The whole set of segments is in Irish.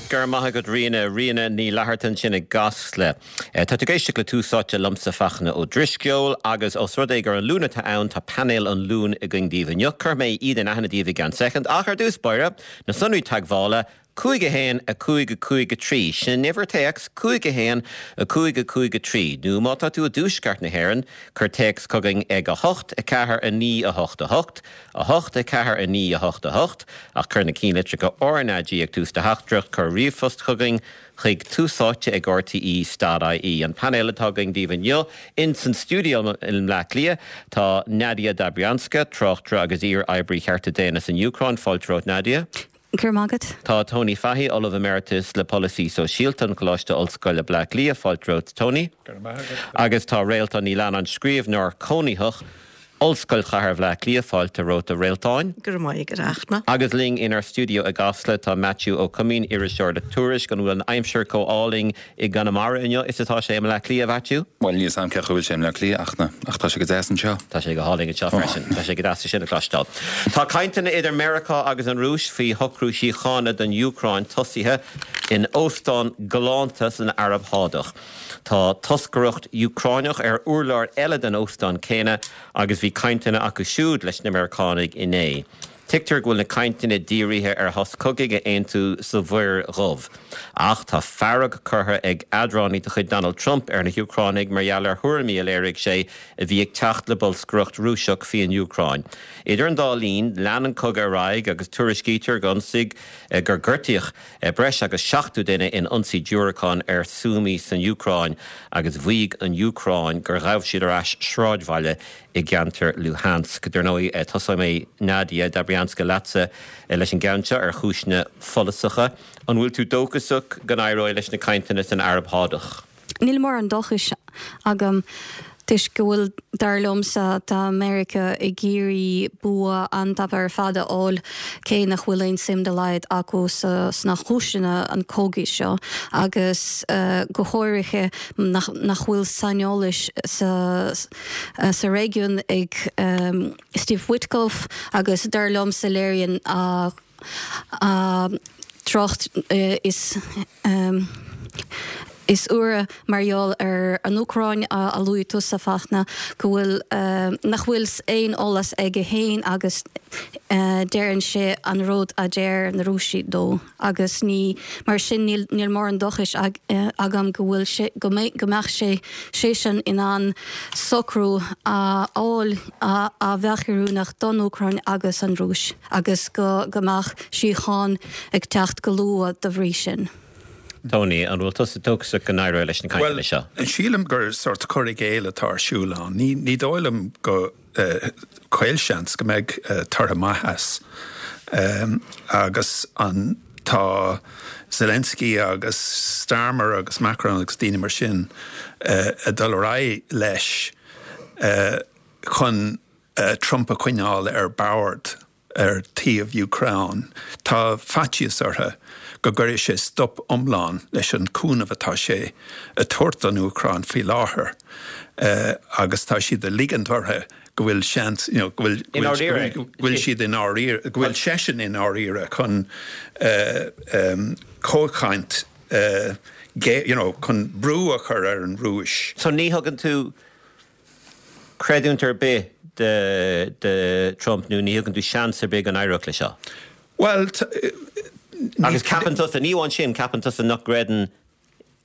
Go raibh maith agat Ríona. Ríona Ní Fhlatharta ansin i gCasla. Tá tú ag éisteacht le Tús Áite liomsa Fachtna Ó Drisceoil agus os rud é gur an Luan atá ann tá painéal an Luain againn daoibh inniu. Cuirfidh mé iad in aithne daoibh i gceann soicind ach ar dtús báire, na sonraí teagmhála, 5 1 5 5 3, sin an uimhir téacs, 5 1 5 5 3, nó má tá tú i dtuaisceart na hÉireann, cuir téacs chugainn ag 8 4 9 8 8, 8 4 9 8 8, ach cuir na cinnlitreacha RnaG ag tús do theachtaireacht, cuir ríomhphost chugainn chuig túsáite ag rte dot ie. An painéal atá againn daoibh inniu ins an stiúideo i mBleá Cliath tá Nadia Dobrianska, tráchtaire agus iar-oibrí chearta daonna san Úcráin, fáilte romhat Nadia. Go raibh maith agat. Tá Tony Fahy, Ollamh Emeritus le Polasaí Sóisialta an Choláiste Ollscoile Bleá Cliath, fáilte romhat Tony. Go raibh maith agat. Agus tá Réaltán Ní Leannáin, scríbhneoir cónaitheach, Ollscoil Chathair Bhaile Átha Cliath, fáilte romhat a Réaltáin. Go raibh maith agat, a Fhachtna. Agus linn inár stiúideo i gCasla tá Maitiú Ó Coimín, iriseoir le Tuairisc. An bhfuil an aimsir chomh álainn i gConamara inniu is atá sé i mBleá Cliath, a Mhaitiú? Bhuel, níl 's a'm cén chaoi a bhfuil sé i mBleá Cliath, a Fhachtna, ach tá sé go deas anseo. Tá sé go hálainn anseo freisin. Tá sé go deas é sin a chloisteáil. Tá cainteanna idir Meiriceá agus an Rúis faoi shocrú síochána don Úcráin tosaithe in óstán galánta san Araib Shádach. Tá toscaireacht Úcráineach ar urlár eile den óstán céanna agus bhí cainteanna acu siúd leis na Meiriceánaigh inné. Tuigtear go bhfuil na cainteanna dírithe ar shos cogaidh a aontú sa Mhuir Dhubh. Ach tá fearg curtha ag eadránaí de chuid Donald Trump ar na hÚcránaigh mar gheall ar thuairimí a léirigh sé a bhí ag teacht le bolscaireacht Rúiseach faoin Úcráin. Idir an dá linn, lean an cogadh ar aghaidh agus tuairiscítear gur ionsaigh gur gortaíodh breis agus 70 duine in ionsaí diúracán ar Sumy san Úcráin agus mhaígh an Úcráin gur ghabh siad ar ais sráidbhaile i gceantar Luhansk. Dar ndóigh, tosóidh mé, Nadia Dobrianska, leatsa leis an gceann seo ar chúiseanna follasacha. An bhfuil tú dóchasach go n-éireoidh leis na cainteanna san Araib Shádach? Níl mórán dóchais agam toisc go bhfuil, dar liomsa, tá Meiriceá ag iarraidh bua an-tapa ar fad a fháil cé nach bhfuil aon suim dá laghad acu sna cúiseanna an chogaidh seo agus go háirithe nach bhfuil saineolas sa réigiún ag Steve Witkoff agus dar liomsa léiríonn a trácht is is úire mar gheall ar an Úcráin a luaigh tusa, a Fachtna, go bhfuil, nach bhfuil aon eolas aige féin agus deireann sé an rud a deir na Rúisigh dó agus ní, mar sin níl, níl mórán dóchais agam go bhfuil sé, go mbeidh, go mbeadh sé, seisean in ann socrú a fháil a bheadh oiriúnach don Úcráin agus an Rúis. agus go mbeadh síocháin ag teacht go luath dá bhrí sin. Tony, an bhfuil tusa dóchasach go n-éireoidh leis na cainteanna seo? Bhuel, sílim gur sórt cur i gcéill atá ar siúl ann. Ní dóigh liom go caolseans go mbeidh tortha maith as. Agus an tá Zelensky agus Starmer agus Macron agus daoine mar sin ag dul ar aghaidh leis chun Trump a choinneáil ar bord ar taobh Úcráin. Tá faitíos orthu go gcuirfidh sé stop iomlán leis an cúnamh atá sé ag tabhairt don Úcráin faoi láthair agus tá siad ag ligint orthu go bhfuil seans, you know, go bhfuil, go bhfuil siad i ndáiríre, go bhfuil seisean i ndáiríre chun comhchaint, you know, chun brú a chur ar an Rúis. So ní thugann tú creidiúint ar bith do Trump nó ní thugann tú seans ar bith go n-éireodh leis seo? Bhuel, Agus ceapann tusa, ní amháin sin, ceapann tusa nach gcreideann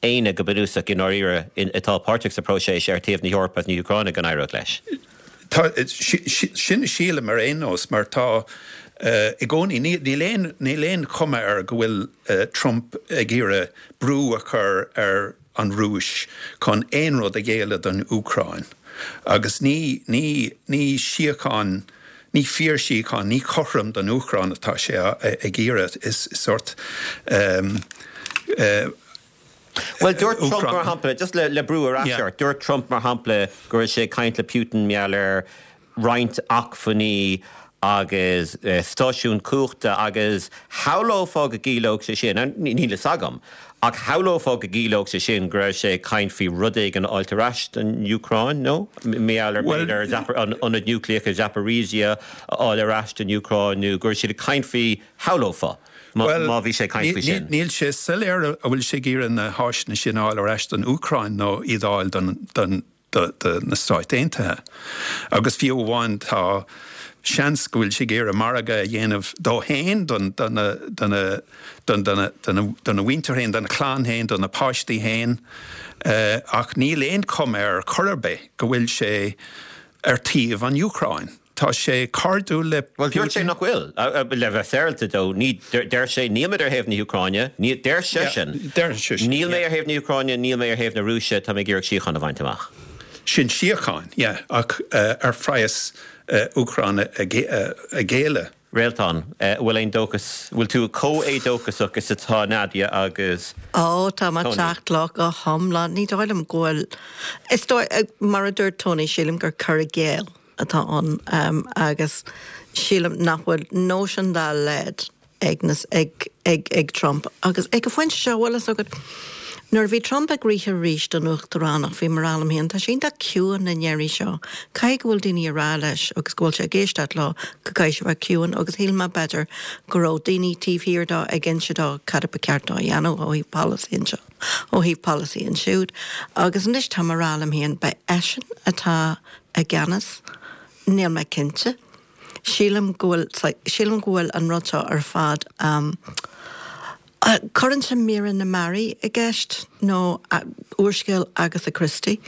éinne go bunúsach i ndáiríre atá páirteach sa phróiseas ar taobh na hEorpa agus na hÚcráine go n-éireodh leis? Tá, sin a sílim ar aon nós mar tá i gcónaí, níl aon, níl aon chuma air go bhfuil Trump ag iarraidh brú a chur ar an Rúis chun aon rud a ghéilleadh don Úcráin. Agus ní, ní, ní síocháin, ní fíorshíocháin, ní cothrom don Úcráin atá sé ag iarraidh. Is sórt eh. Bhuel, dúirt Trump mar shampla, just le, le brú ar ais ort, dúirt Trump mar shampla go raibh sé ag caint le Putin mar gheall ar roinnt acmhainní agus stáisiún cumhachta agus shamhlófá go gciallódh sé sin, níl fhios agam, ach shamhlófá go gciallódh sé sin go raibh sé ag caint faoi rud éigin a fháilt ar ais don Úcráin, nó mar gheall ar b'fhéidir an ionad núicléach i Zaporizhzhia a fháil ar ais don Úcráin nó go raibh siad ag caint faoi, shamhlófá. Má bhí sé ag caint faoi sin. Níl sé soiléir an bhfuil sé ag iarraidh na háiseanna sin a fháil ar ais don Úcráin nó iad a fháil don do na Stáit Aontaithe. Agus fiú amháin tá seans go bhfuil sé ag iarraidh margadh a dhéanamh dó féin, dona mhuintir féin, dona chlann féin, dona páistí féin. Ach níl aon chuma air chor ar bith go bhfuil sé ar taobh an Úcráin. Tá sé cairdiúil le Bhuel, dúirt sé nach bhfuil. Le bheith féaráilte dó, ní, deir sé, níl mé ar thaobh na hÚcráine, ní, deir seisean, Deir seisean, níl mé ar thaobh na hÚcráine, níl mé ar thaobh na Rúise, tá mé ag iarraidh síocháin a bhaint amach. Sin síocháin, yeah, ach ar phraghas Úcráin a ghéilleadh. Réaltán, an bhfuil aon dóchas, bhfuil tú chomh éadóchasach is atá Nadia agus Ó, tá mé ag Tony? teacht leo go hiomlán. Ní dóigh liom go bhfuil, is dóigh, mar a dúirt Tony, sílim gur cur i gcéill atá ann agus sílim nach bhfuil nóisean dá laghad ag na, ag, ag, ag Trump. Agus ag an phointe seo, bhfuil fhios agat, nuair a bhí Trump ag rith arís don uachtaránacht, bhí mé ag rá liom féin, tá sé iontach ciúin na ndeirí seo, caithfidh go bhfuil daoine ag rá leis agus go bhfuil sé ag éisteacht leo go gcaithfidh sé bheith ciúin agus shíl mé b'fhéidir go raibh daoine taobh thiar dó ag inse dó cad a ba cheart dó a dhéanamh ó thaobh polasaí anseo, ó thaobh polasaí ansiúd. Agus anois tá mé ag rá liom féin, beidh eisean atá i gceannas, níl mé cinnte. Sílim go bhfuil, sílim go bhfuil an rud seo ar fad, cuireann sé Míre na Mearaí i gceist, nó úrscéal Agatha Christie.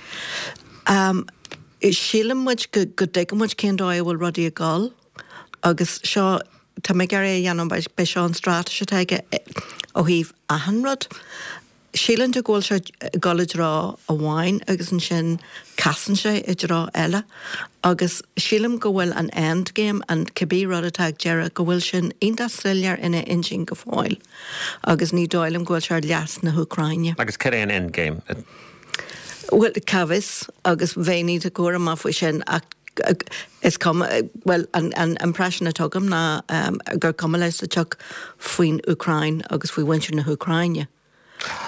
Síleann muid go dtuigeann muid cén dóigh a bhfuil rudaí ag dul agus seo, tá mé ag iarraidh a dhéanamh, beidh seo an straitéis atá aige ó thaobh achan rud. Síleann tú go bhfuil sé ag dul i dtreo amháin agus ansin casann sé i dtreo eile agus sílim go bhfuil an end game, an cibé rud atá ag deireadh, go bhfuil sin iontach soiléir ina intinn go fóill agus ní dóigh liom go bhfuil sé ar leas na hÚcráine. Agus cad é an end game? Bhuel, cá bhfios agus bheinn iontach cúramach faoi sin ach is cuma, bhuel, an impression atá agam ná gur cuma leis sa tsioc faoin Úcráin agus faoi mhuintir na hÚcráine.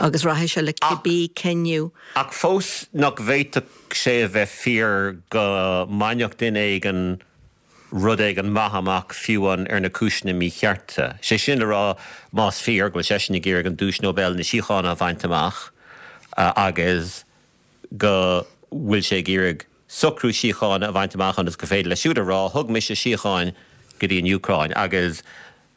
Agus rachaidh sé le cibé cinneadh. Ach fós, nach bhféadfadh sé a bheith fíor go mbainfeadh duine éigin rud éigin maith amach fiú amháin ar na cúiseanna míchearta? Sé sin le rá, más fíor go bhfuil seisean ag iarraidh an Duais Nobel na Síochána a bhaint amach agus go bhfuil sé ag iarraidh socrú síochána a bhaint amach ionas gur féidir leis siúd a rá, thug mise síocháin go dtí an Úcráin agus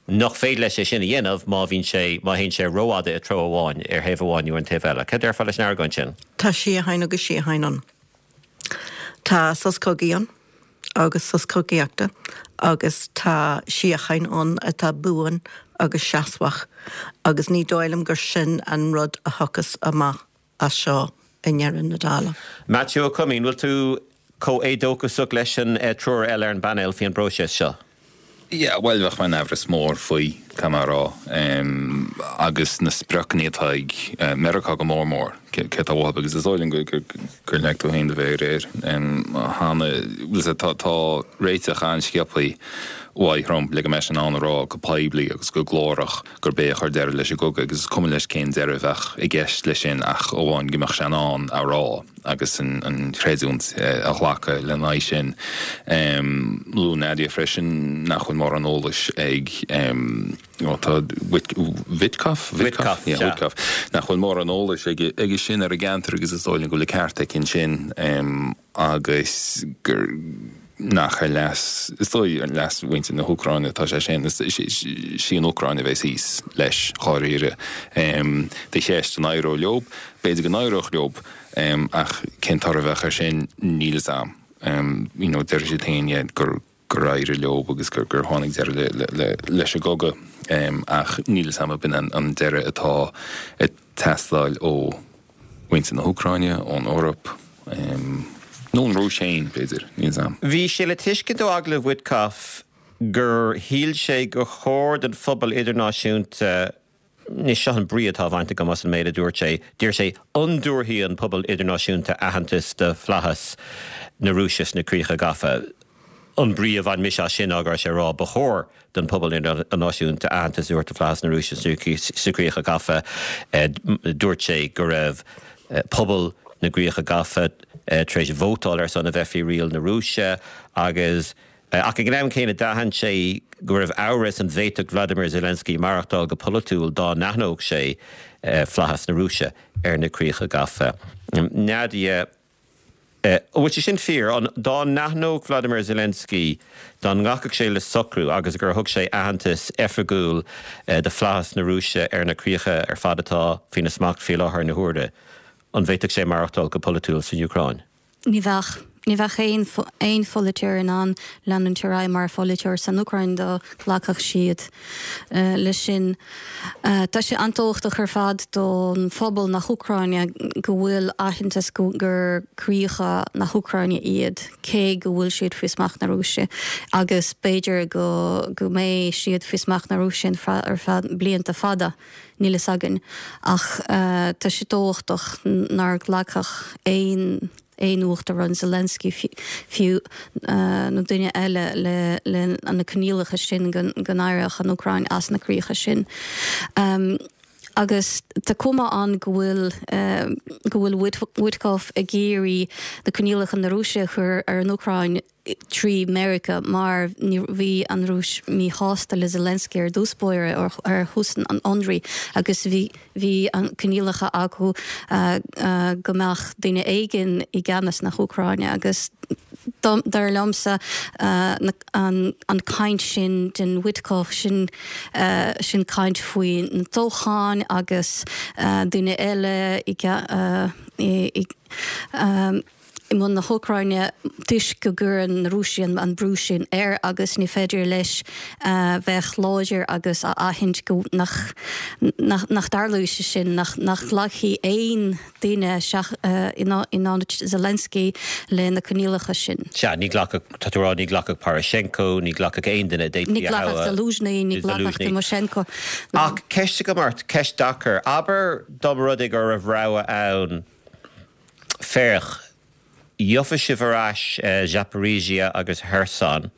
nach féidir leis é sin a dhéanamh má bhíonn sé, má théann sé rófhada i treo amháin, ar thaobh amháin nó ar an taobh eile. Cad déarfá leis an argóint sin? Tá síocháin agus síocháin ann. Tá sos cogaidh ann agus sos cogaíochta agus tá síocháin ann atá buan agus seasmhach agus ní dóigh liom gur sin an rud a thiocfas amach as seo i ndeireadh na dála. Maitiú Ó Coimín, bhfuil tú chomh éadóchasach leis an triúr eile ar an bpainéal faoi an bpróiseas seo? Yeah, bhuel, bheadh mé in aimhreas mór faoi, caithfidh mé a rá. Agus na spriocanna atá ag Meiriceá go mór mór, cé atá uathu, agus is dóigh liom gur leag tú féin do mhéar air cheana, bhuel, tá réiteach an-sciobtha uaidh Trump le go mbeidh sé in ann a rá go poiblí agus go glórach gurb é a chuir deireadh leis an gcogadh agus is cuma leis cén deireadh a bheadh i gceist leis sin ach amháin go mbeadh sé in ann a rá agus an chreidiúint a ghlacadh lena aghaidh sin. Luaigh Nadia freisin nach bhfuil mórán eolais ag ó tá Witkoff? Witkoff, yeah, Witkoff. Nach bhfuil mórán eolais aige sin ar an gceantar agus is dóigh liom go bhfuil an ceart aici ansin. agus gur nach ar leas, is dóigh, ar leas mhuintir na hÚcráine atá sé sin. Is í an Úcráin a bheas thíos leis, dháiríre. Do cheist, an éireodh leo? B'fhéidir go n-éireodh leo, ach cén toradh a bheadh air sin, níl fhios a'm. You know, déarfaidh siad féin, yeah, gur gur éirigh leo agus gur gur tháinig deireadh leis an gcogadh, ach níl fhios a'm ab in an deireadh atá ag teastáil ó mhuintir na hÚcráine, ón Eoraip, nó ón Rúis féin, b'fhéidir, níl fhios a'm. Bhí sé le tuiscint ó agallamh Witkoff gur shíl sé gur chóir don phobal idirnáisiúnta Anois, seo an brí atá á bhaint agam as an méid a dúirt sé. Deir sé, An dtabharfaidh an pobal idirnáisiúnta aitheantas do fhlaitheas na Rúise sna críocha gafa? An brí a bhain mise as sin ná go raibh sé ag rá, ba chóir don phobal idirnáisiúnta aitheantas a thabhairt do flaitheas na Rúise sna críocha gafa. Dúirt sé go raibh pobal na gcríocha gafa tar éis vótáil ar son a bheith faoi riail na Rúise agus. Ach ag an am céanna d'aithin sé go raibh amhras an bhféadfadh Vladimir Zelensky maireachtáil go polaitiúil dá n-aithneodh sé flaitheas na Rúise ar na críocha gafa. Nadia, An bhfuil sé sin fíor? An dá n-aithneodh Vladimir Zelensky, dá nglacfadh sé le socrú agus gur thug sé aitheantas oifigiúil do flaitheas na Rúise ar na críocha ar fad atá faoina smacht faoi láthair na huaire, an bhféadfadh sé maireachtáil go polaitiúil san Úcráin? Ní bheadh. Ní bheadh aon aon pholaiteoir in ann leanúint ar aghaidh mar pholaiteoir san Úcráin dá nglacfadh siad leis sin. Tá sé an-tábhachtach ar fad don phobal na hÚcráine go bhfuil aitheantas gur críocha na hÚcráine iad, cé go bhfuil siad faoi smacht na Rúise, agus b'fhéidir go go mbeidh siad faoi smacht na Rúise ar feadh blianta fada. Níl fhios againn. Ach tá sé tábhachtach nár ghlacfadh aon aon uachtarán, Zelensky fiú, nó duine eile le le na coinníollacha sin go n-éireodh an Úcráin as na críocha sin. Agus tá cuma ann go bhfuil go bhfuil Witkoff ag iarraidh na coinníollacha na Rúise a chur ar an Úcráin, trí Meiriceá mar bhí an Rúis míshásta le Zelensky ar dtús báire ar thús an ionraidh agus bhí bhí an coinníollacha acu go mbeadh duine éigin i gceannas na hÚcráine agus dar liomsa an an caint sin den Witkoff sin sin caint faoi na toghcháin agus duine eile i i i mbun na hÚcráine toisc go gcuireann na Rúisigh an brú sin air agus ní féidir leis bheith láidir agus a aithint go nach nach dtarlóidh sé sin, nach nach nglacfaidh aon duine in ionad Zelensky le na coinníollacha sin. Sea, ní ghlacfadh, tá tú a rá, ní ghlacfadh Poroshenko, ní ghlacfadh aon duine a d'fhéadfaí a thoghadh. Ní ghlacfadh Zaluzhny, ní ghlacfadh Tymoshenko. Ach ceist agam ort, ceist deacair. Abair dá mba rud é go raibh rogha ann, Féach, gheofaidh sibh ar ais Zaporizhzhia agus Kherson,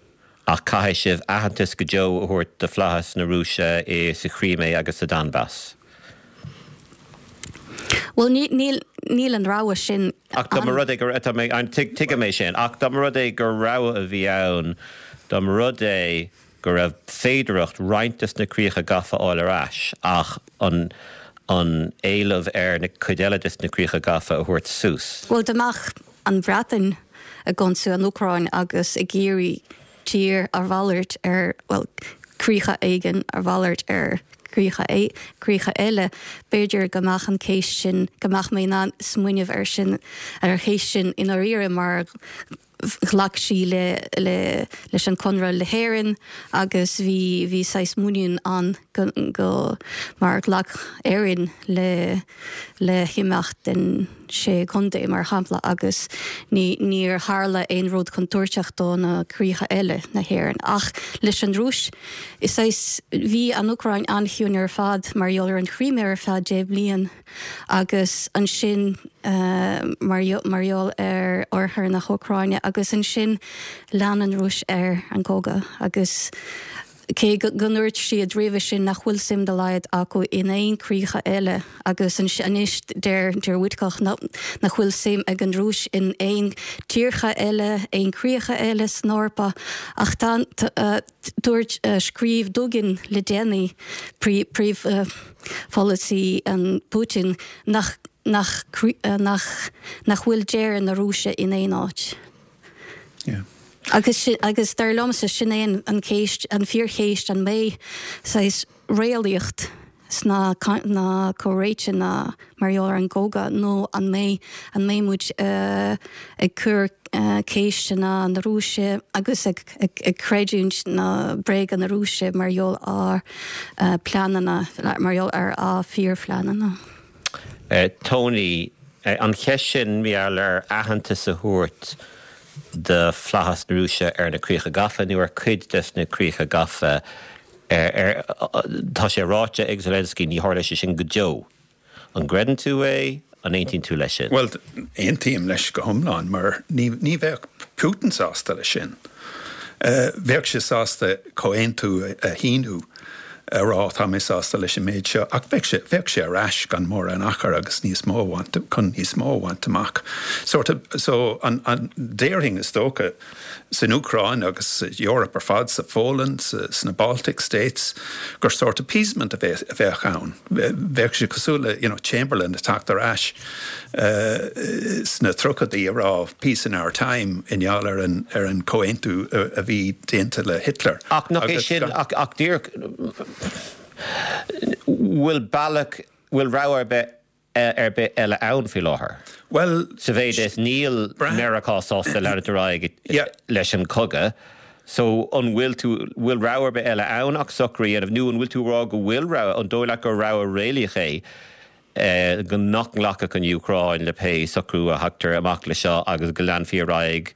ach caithfidh sibh aitheantas go deo a thabhairt do flaitheas na Rúise i sa Chrímé agus sa Donbas. Bhuel, níl, níl an rogha sin Ach dá mba rud é go, tá mé, tuigim é sin, ach dá mba rud é gur rogha a bhí ann, dá mba rud é go raibh féidearthacht roinnt des na críocha gafa a fháil ar ais ach an an éileamh ar na cuid eile des na críocha gafa a thabhairt suas. Bhuel, dá mbeadh an Bhreatain ag ionsú an Úcráin agus ag iarraidh tír a mhalairt ar, bhuel, críocha éigin a mhalairt ar chríocha, críocha eile, b'fhéidir go mbeadh an chéist sin, go mbeadh mé in ann smaoineamh ar sin, ar an chéist sin i ndáiríre mar ghlac sí le le leis an conradh le hÉirinn agus bhí bhí saghas muinín ann go go mar ghlac Éirinn le le himeacht den sé chontae mar shampla agus ní níor tharla aon rud contúirteach do na críocha eile na hÉireann. Ach leis an Rúis is saghas bhí an Úcráin an-chiúin ar fad mar gheall ar an Chrímé ar feadh 10 bliain. agus ansin mar gheall ar oirthear na hÚcráine agus ansin lean an Rúis ar an gcogadh agus cé go ndúirt siad roimhe sin nach bhfuil suim dá laghad acu in aon críocha eile agus anois deir deir Witkoff nach bhfuil suim ag an Rúis in aon tíortha eile, aon críocha eile san Eorpa ach tá Dúirt, scríobh Dugin le déanaí, príomhpholasaí an Putin, nach nach nach nach bhfuil deireadh na Rúise in aon áit. Agus agus dar liomsa sin é an an chéist, an fíorchéist, an mbeidh saghas réalaíocht sna na comhráite na mar gheall ar an gcogadh nó an mbeidh an mbeidh muid ag cur ceisteanna na Rúise agus ag ag creidiúint na bréaga na Rúise mar gheall ar pleananna mar gheall ar a fíorphleananna. Tony, An cheist sin mar gheall ar aitheantas a thabhairt do flaitheas na Rúise ar na críocha gafa nó ar cuid des na críocha gafa Ar, tá sé ráite ag Zelensky, ní tharlóidh sé sin go deo. An gcreideann tú é? An aontaíonn tú leis sin? Bhuel, aontaím leis go hiomlán, mar ní, ní bheadh Putin sásta leis sin. Bheadh sé sásta comhaontú a shíniú. a rá tá mé sásta leis an méid seo ach bheadh sé, bheadh sé ar ais gan mórán achair agus níos mó a bhaint, chun níos mó a bhaint amach. Sort of, so an, an, déarfainn is dócha san Úcráin agus sa Eoraip ar fad, sa Pholainn, sa, sna Baltic States, gur sort appeasement a bheadh, a bheadh ann. Bheadh sé cosúil le, you know, Chamberlain ag teacht ar ais sna tríochaidí a rá peace in our time i ngeall ar an, ar an comhaontú a bhí déanta le Hitler. Ach nach é sin, ach, ach díreach, bhfuil bealach, bhfuil rogha ar bith ar bith eile ann faoi láthair? Bhuel, Sa mhéid is níl Meiriceá sásta leanúint ar aghaidh leis an chogadh, so an bhfuil tú, bhfuil rogha ar bith eile ann ach socrú a dhéanamh nó an bhfuil tú ag rá go bhfuil rogha, an dóigh leat gur rogha réalaíoch é go nach nglacfadh an Úcráin le pé socrú a thagtar amach leis seo agus go leanfaí ar aghaidh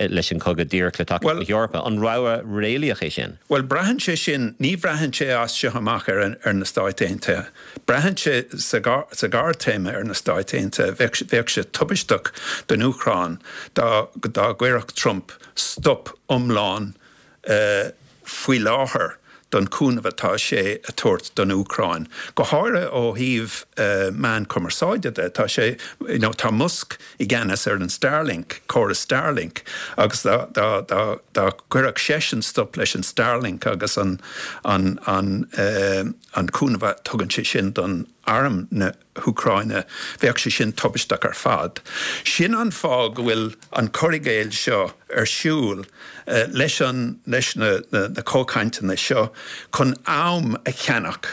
leis an chogadh díreach le tacaíocht na hEorpa. An rogha réalaíoch é sin? Bhuel, braitheann sé sin, ní bhraitheann sé as seo amach ar ar na Stáit Aontaithe. Braitheann sé sa sa ghearrthéarma ar na Stáit Aontaithe. Bheadh bheadh sé tubaisteach don Úcráin dá dá gcuirfeadh Trump stop iomlán faoi láthair don chúnamh atá sé a tabhairt don Úcráin, go háirithe ó thaobh meán cumarsáide de. Tá sé, you know, tá Musk i gceannas ar an Starlink, córas Starlink, agus dá, dá, dá, dá gcuirfeadh seisean stop leis an Starlink agus an, an, an, an cúnamh a tugann sé sin don arm na. hÚcráine, bheadh sé sin tubaisteach ar fad. Sin an fáth go bhfuil an cur i gcéill seo ar siúl leis an leis na na comhchainteanna seo chun am a cheannach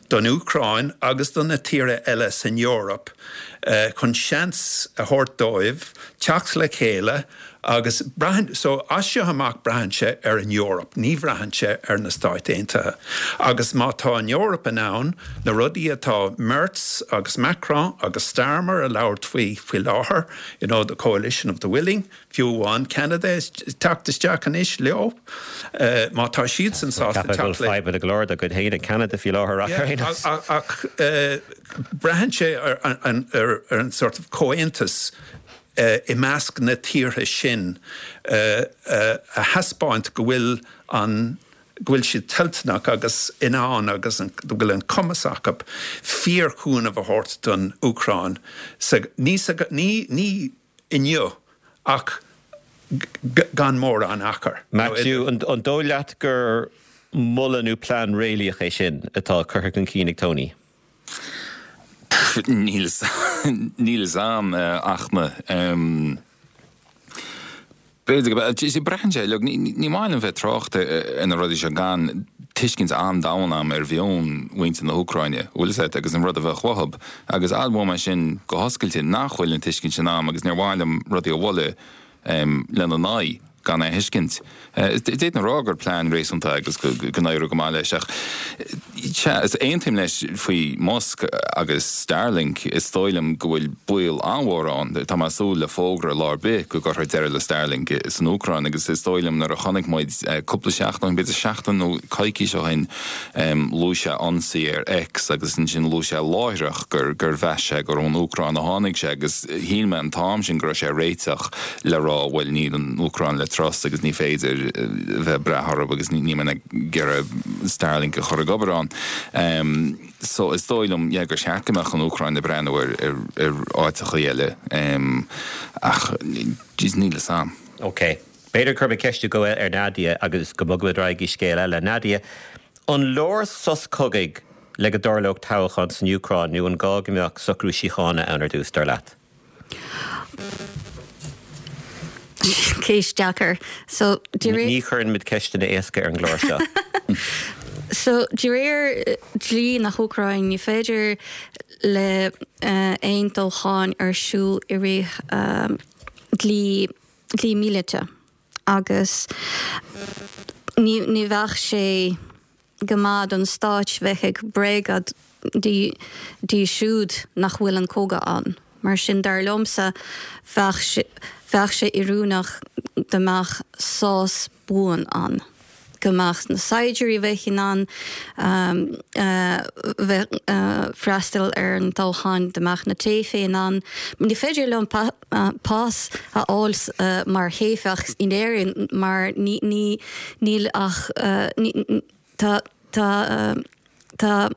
don Úcráin agus do na tíortha eile san Eoraip chun seans a thabhairt dóibh teacht le chéile Agus braitheann, so as seo amach braitheann sé ar an Eoraip, ní bhraitheann sé ar na Stáit Aontaithe. Agus má tá an Eoraip in ann na rudaí atá Merz agus Macron agus Starmer a labhairt faoi faoi láthair, you know, the coalition of the willing, fiú amháin Ceanada ag teacht isteach anois leo, má tá siadsan sásta teacht le. Ceapaim go bhfuil fadhbanna go leor dá gcuid féin ag Ceanada faoi láthair ach ar aon nós. Ach braitheann sé ar an sort of comhaontas i measc na tíortha sin a thaispeáint go bhfuil an, go bhfuil siad toilteanach agus in ann agus go bhfuil an cumas acu fíorchúnamh a thabhairt don Úcráin sa, ní sa, ní, ní inniu ach gan mórán achair. Maitiú, an dóigh leat gur moladh nó plean réalaíoch é sin atá curtha chun cinn ag Tony? Níl fhios a'm ach na. B'fhéidir go, braitheann sé, look, ní maith liom bheith ag trácht ar na rudaí seo gan tuiscint an-domhain a'm ar mheon mhuintir na hÚcráine, bhfuil fhios a'd, agus an rud a bheadh uathub. Agus admhóidh mé sin go hoscailte nach bhfuil an tuiscint sin a'm agus níor mhaith liom rudaí a mholadh lena n-aghaidh. gan é a thuiscint. D'fhéadfainn a rá gur plean réasúnta agus go n-éireodh go maith leis ach sea, is aontaím leis faoi Musk agus Starlink, is dóigh liom go bhfuil baol an-mhór ann, tá mé ag súil le fógra lá ar bith go gcuirfear deireadh le Starlink san Úcráin agus is dóigh liom nuair a chonaic muid cúpla seachtain ó shin, b'fhéidir seachtain nó coicís ó shin, Luaigh sé ionsaí ar X agus ansin luaigh sé láithreach gur gur mheas sé gur ón Úcráin a tháinig sé agus shíl mé an t-am sin go raibh sé ag réiteach le rá bhuel níl an Úcráin le trust agus ní féidir bheith ag brath orthu agus níl mé ag iarraidh Starlink a chur ag obair ann. So is dóigh liom yeah gur cheart go mbeadh an Úcráin ag breathnú ar ar ar áiteachaí eile ach jeez níl fhios a'm. Ok. B'fhéidir go gcuirfidh mé ceist go ar Nadia agus go mbogfaimid ar aghaidh go scéal eile. Nadia, an leor sos cogaidh le go dtarlódh toghchán san Úcráin nó an gá go mbeadh socrú síochána ann ar dtús, dar leat? Ceist deacair. So, de réir. Ní chuireann muid ceisteanna éasca ar an gclár seo. So, de réir dlí na hÚcráine, ní féidir le aon toghchán ar siúl i rith dlí dlí míleata agus ní ní bheadh sé go maith don stáit bheith ag bréagadh dóibh siúd nach bhfuil an cogadh ann. Mar sin dar liomsa bheadh sé bheadh sé oiriúnach dá mbeadh sos buan ann. go mbeadh na saighdiúirí bheith in ann bheith freastal ar an toghchán, dá mbeadh na teifigh in ann. Ní féidir liom pas a fháil mar theifeach in Éirinn mar níl ach tá. Tá Tá,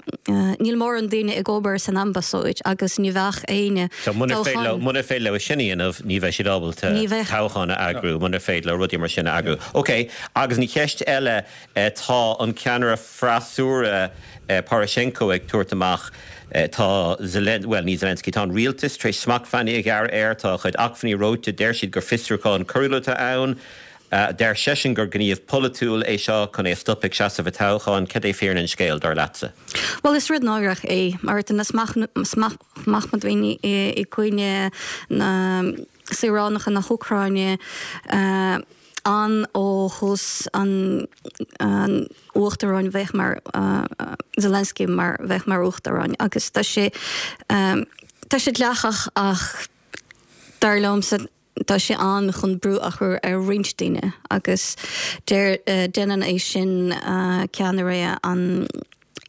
níl mórán daoine ag obair san ambasáid agus ní bheadh éinne So muna féidir leo, muna féidir leo sin a dhéanamh, ní bheidh siad ábalta toghchán a eagrú, muna féidir leo rudaí mar sin a eagrú. Ok, agus an cheist eile, tá an ceannaire freasúra Poroshenko ag tabhairt amach, tá Zelen, bhuel ní Zelensky, tá an rialtas tar éis smachtbhannaí a ghearradh air, tá a chuid acmhainní reoite, deir siad gur fiosrúchán coiriúil atá ann. Deir seisean gur gníomh polaitiúil é seo chun é a stopadh ag seasamh i dtoghchán. Cad é fírinne an scéil, dar leatsa? Bhuel, is rud náireach é mar tá na smachtbhannaí i gcoinne na saoránacha na hÚcráine ann ó thús an uachtaráin bheith mar Zelensky mar bheith mar uachtarán agus tá sé tá sé dleathach ach dar liomsa Tá sé ann chun brú a chur ar roinnt daoine agus deir déanann é sin ceannaire an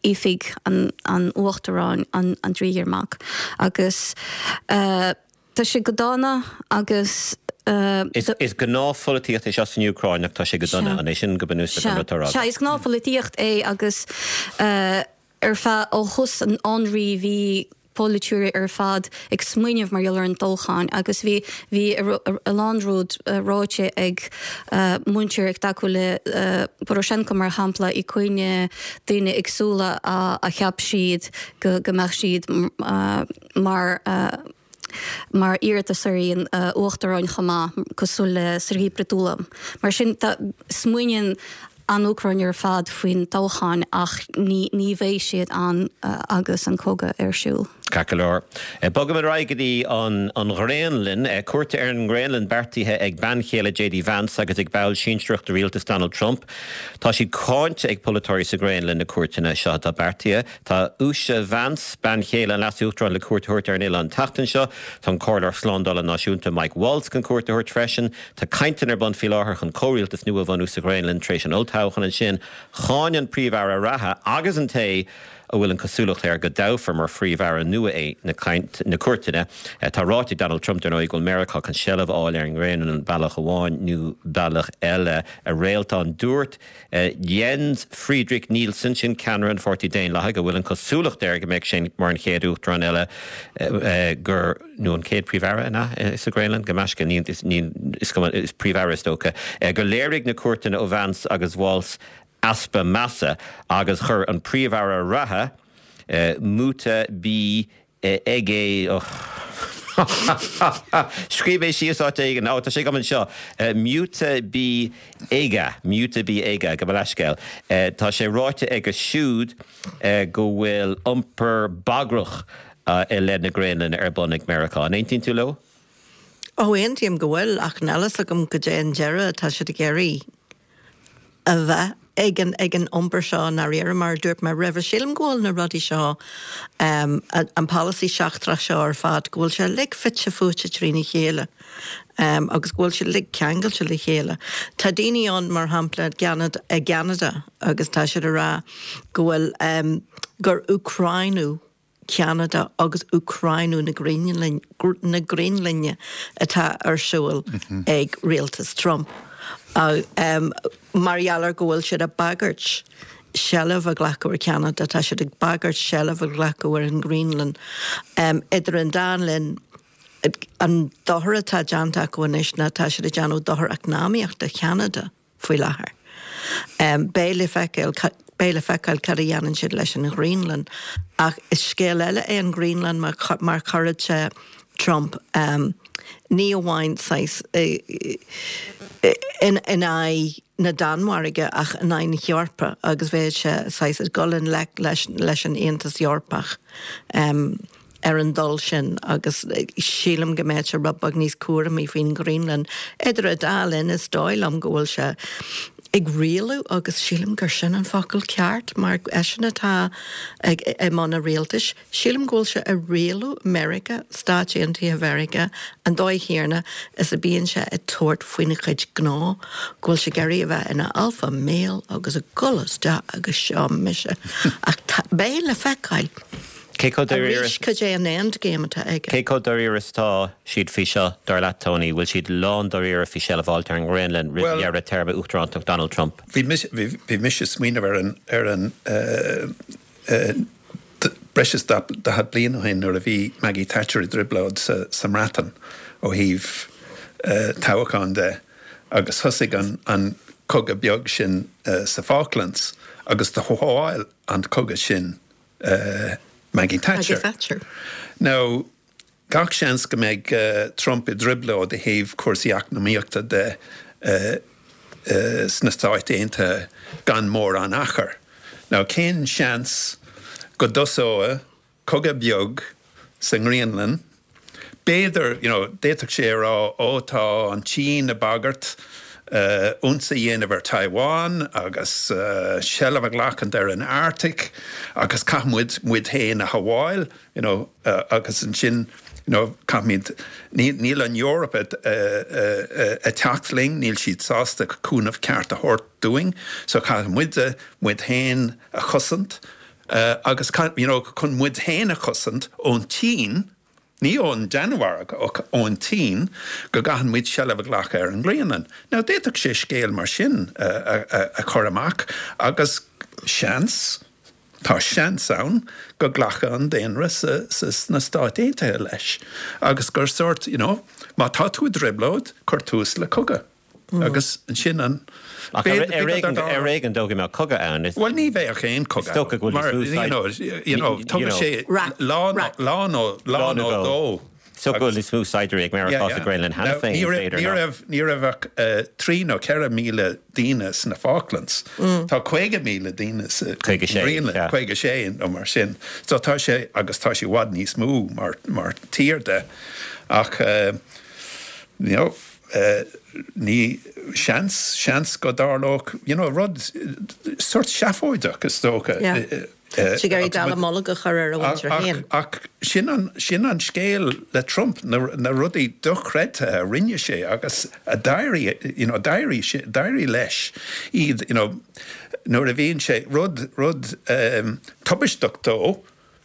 oifig an uachtaráin Andriy Yermak agus tá sé go dona agus. Is gnáthpholaitíocht é seo san Úcráin ach tá sé go dona, an é sin go bunúsach an rud atá á rá agat? Sea, is gnáthpholaitíocht é agus Ar feadh ó thús an ionraidh bhí polaiteoirí ar fad ag smaoineamh mar gheall ar an toghchán agus bhí bhí a lán rud ráite ag muintir ag tacú le Poroshenko mar shampla i coinne daoine éagsúla a cheap siad go go mbeadh siad mar mar iarratasóirí an uachtaráin chomh maith, cosúil le Serhiy Prytula. Mar sin, tá, smaoiníonn an Úcráin ar fad faoin toghchán ach ní, ní bheidh siad ann agus an cogadh ar siúl. Ceart go leor. Bogaimid ar aghaidh go dtí an an Ghraonlainn. Cuairt ar an nGraonlainn beartaithe ag bean chéile JD Vance agus ag ball sinsearach de rialtas Donald Trump. Tá siad cáinte ag polaiteoirí sa Ghraonlainn na cuairteanna seo atá beartaithe. Tá Usha Vance, bean chéile an Leas-Uachtaráin le cuairt a thabhairt ar an oileán an tseachtain seo. Tá an Comhairleoir Slándála Náisiúnta Mike Waltz chun cuairt a thabhairt freisin. Tá cainteanna ar bun faoi láthair chun comhrialtas nua a bhunú sa Ghraonlainn tar éis an olltoghcháin ansin. Cháin an Príomh-Aire reatha agus an té a bhfuil an cosúlacht air go dtoghfar mar Phríomh-Aire nua é na cuairteanna. Tá ráite ag Donald Trump, dar ndóigh, go bhfuil Meiriceá chun seilbh a fháil ar an nGraonlainn bealach amháin nó bealach eile. A Réaltán, dúirt Jens Frederik Nielsen, sin ceannaire an Pháirtí Daonlathaigh, a bhfuil an chosúlacht air go mbeidh sé mar an chéad uachtarán eile gur, nó an chéad Phríomh-Aire, an ea, sa Ghraonlainn? Gabh mo leithscéal, ní, ní, is cuma, is Príomh-Aire is dócha, gur léirigh na cuairteanna ó Vance agus Waltz easpa measa agus chuir an Príomh-Aire reatha, Múte B. Egede, Scríobh mé síos áit éigin, ó tá sé agam anseo, Múte B Egede, Múte B Egede, gabh mo leithscéal. Tá sé ráite aige siúd go bhfuil iompar bagrach i leith na Graonlainne ar bun ag Meiriceá. An aontaíonn tú leo? Ó, aontaím go bhfuil, ach níl a fhios agam goidé an deireadh atá siad ag iarraidh. a bheith ag an ag an iompar seo i ndáiríre, mar a dúirt mé roimhe. Sílim go bhfuil na rudaí seo, an polasaí seachtrach seo ar fad, go bhfuil sé uilig fite fuaite trína chéile agus go bhfuil siad uilig ceangailte le chéile. Tá daoine ann, mar shampla, i gCeanada agus tá siad ag rá go bhfuil, gur Úcráiniú Cheanada agus Úcráiniú na Graonlainne atá ar siúl ag rialtas Trump mar gheall ar go bhfuil siad ag bagairt seilbh a ghlacadh ar Cheanada, tá siad ag bagairt seilbh a ghlacadh ar an nGraonlainn. Idir an dá linn, an dochar atá déanta acu anois ná tá siad ag déanamh dochar eacnamaíoch do Cheanada. faoi láthair. Beidh le feiceáil, beidh le feiceáil cad a dhéanann siad leis an Ghraonlainn. Ach is scéal eile é an Ghraonlainn mar, mar chuirfeadh sé Trump, ní amháin saghas in, in aghaidh na Danmhairge ach in aghaidh na hEorpa agus bheadh sé saghas ag dul i ngleic leis, leis an Aontas Eorpach. ar an dul sin agus sílim go mbeadh sé rud beag níos cúramaí faoin Ghraonlainn. Idir an dá linn, is dóigh liom go bhfuil sé ag rialú agus sílim gur sin an focal ceart mar eisean atá ag i mbun an rialtais. Sílim go bhfuil sé ag rialú Meiriceá, Stáit Aontaithe Mheiriceá, an dóigh chéanna is a bíonn sé ag tabhairt faoina chuid gnó, go bhfuil sé ag iarraidh a bheith ina alpha male agus ag dul isteach agus seo mise. Ach beidh le feiceáil. Cé chomh dáiríre. Arís, cad é an end game atá aige? Cé chomh dáiríre is atá siad faoi seo, dar leat, Tony? Bhfuil siad lán dáiríre faoi seilbh a fháilt ar an nGraonlainn roimh dheireadh téarma uachtarántacht Donald Trump? Bhí mise, bhí mise ag smaoineamh ar an, ar an breis is 40 bliain ó shin nuair a bhí Maggie Thatcher i dtrioblóid sa, sa mBreatain ó thaobh toghcháin de agus thosaigh an, an cogadh beag sin sa Falklands agus do shábháil an cogadh sin Maggie Thatcher. Maggie Thatcher. Now, gach seans go mbeidh Trump i dtrioblóid i thaobh cúrsaí eacnamaíochta de sna Stáit Aontaithe gan mórán achair. Now, cén seans go dtosóidh cogadh beag sa nGraonlainn B'fhéidir, you know, d'fhéadfadh sé a rá, ó tá an tSín ag bagairt ionsaí a dhéanamh ar Taiwan agus seilbh a ghlacadh ar an Arctic agus caithfidh muid muid féin a shábháil, you know, agus ansin, you know, caithfimid, níl an Eoraip ag teacht linn, níl siad sásta cúnamh ceart a thabhairt dúinn, so caithfidh muide muid féin a chosaint agus, you know, chun muid féin a chosaint ón tSín. Ní ón Danmhairg, ach ón tSín, go gcaitheann muid seilbh a ghlacadh ar an nGraonlainn. Now, d'fhéadfadh sé scéal mar sin a chur amach agus seans, tá seans ann, go nglacfadh an daonra sna Stáit Aontaithe leis agus gur sórt, you know, má tá tú i dtrioblóid, cuir tús le cogadh. Agus ansin an. Ach ar éigean dó go mbeadh cogadh ann. Bhuel, ní bheadh aon cogadh ann. Is dócha go bhfuil níos mó you know, tugadh sé lá nó lá nó dhó. Is dócha go bhfuil níos mó saighdiúirí ag Meiriceá sa Ghraonlainn cheana féin, b'fhéidir. Ní raibh, ní raibh ach 3 nó 4,000 daoine sna Falklands. Tá 50,000 daoine sa Ghraonlainn, 56 nó mar sin. So tá sé, agus tá sé i bhfad níos mó mar tír de. Ach, you know, Ní, seans, seans go dtarlódh, you know, rud sórt seafóideach, is dócha. Yeah. Tá ag iarraidh dallamullóg a chur ar a mhuintir féin. Ach sin an, sin an scéal le Trump, na, na rudaí dochreidte a rinne sé agus a d'éirigh, you know, d'éirigh sé, d'éirigh leis iad, you know, nuair a bhíonn sé, rud, rud tubaisteach dó,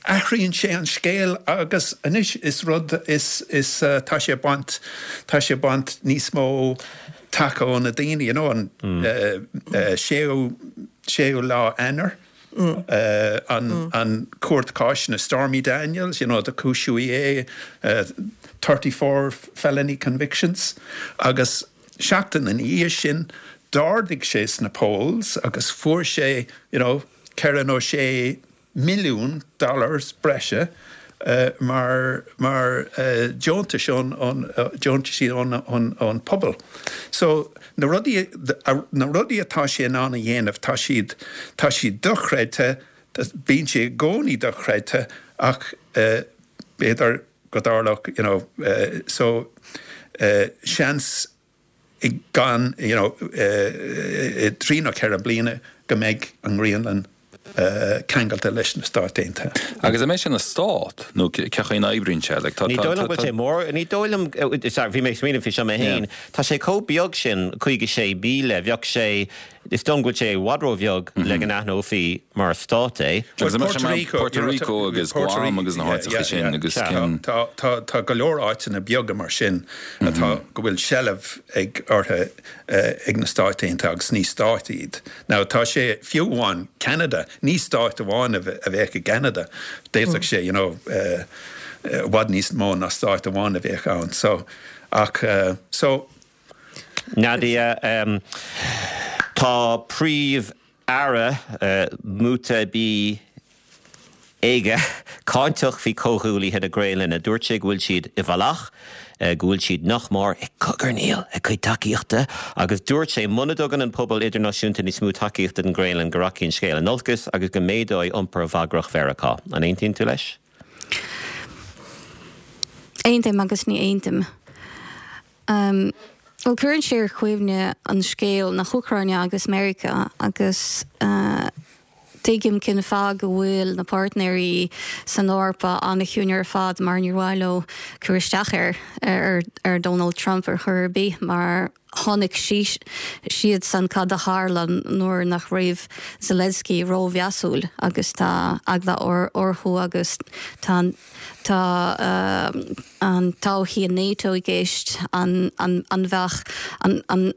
Athraíonn sé an scéal agus anois is rud is is tá sé ag baint tá sé ag baint níos mó taca ó na daoine you know an séú séú lá Eanáir an an cúirt cáis Stormy Daniels you know do cúisíodh é 34 felony convictions agus seachtain ina dhiaidh sin d'ardaigh sé sna polls agus fuair sé you know ceithre nó sé milliún dollars breise mar mar deontais ón ón deontaisí ón ón ón pobal. So na rudaí na rudaí atá sé in ann a dhéanamh tá siad tá siad dochreidte, bíonn sé i gcónaí dochreidte ach b'fhéidir go dtarlódh you know so seans i gan you know i dtrí nó ceithre bliana go mbeidh an Ghraonlainn ceangailte leis na Stáit Aontaithe. Agus an mbeidh sé ina stát nó cé chaoi a n-oibríonn sé? Like tá Ní dóigh liom go bhfuil sé mór, ní dóigh liom, sorry, bhí mé ag smaoineamh faoi seo mé féin, tá sé chomh beag sin, 56,000, bheadh sé, Is dóigh liom go bhfuil sé i bhfad ró-bheag le go n-aithneofaí mar stát é. Agus an mbeadh sé mar Puerto Rico agus Guam agus na háiteacha sin agus cén. Tá go leor áiteanna beaga mar sin atá, go bhfuil seilbh ag orthu ag na Stáit Aontaithe agus ní stáit iad. Now tá sé, fiú amháin Ceanada, ní stát amháin a bheadh i gCeanada, d'fhéadfadh sé you know i bhfad níos mó ná stát amháin a bheadh ann. So, ach so. Nadia, Tá Príomh-Aire Múte Bí Aage cáinteach faoi chomhghuaillithe na Graonlainne. Dúirt sé go bhfuil siad i bhfolach, go bhfuil siad nach mór ag cogarnaíl a gcuid tacaíochta agus dúirt sé muna dtugann an pobal idirnáisiúnta níos mó tacaíochta don Ghraonlainn go rachaidh an scéal in olcas agus go méadóidh iompar bhagrach Mheiriceá. An aontaíonn tú leis? Aontaím agus ní aontaím. Bhuel, cuireann sé ar chuimhne an scéal na hÚcráine agus Meiriceá agus. Tuigim cén fáth go bhfuil na páirtnéirí san Eoraip an-chiúin ar fad mar níor mhaith leo cur isteach ar ar Donald Trump ar chor ar bith mar chonaic siadsan cad a tharla nuair nach raibh Zelensky rómheasúil agus tá eagla orthu agus tá tá an todhchaí in NATO i gceist an an an bheadh an an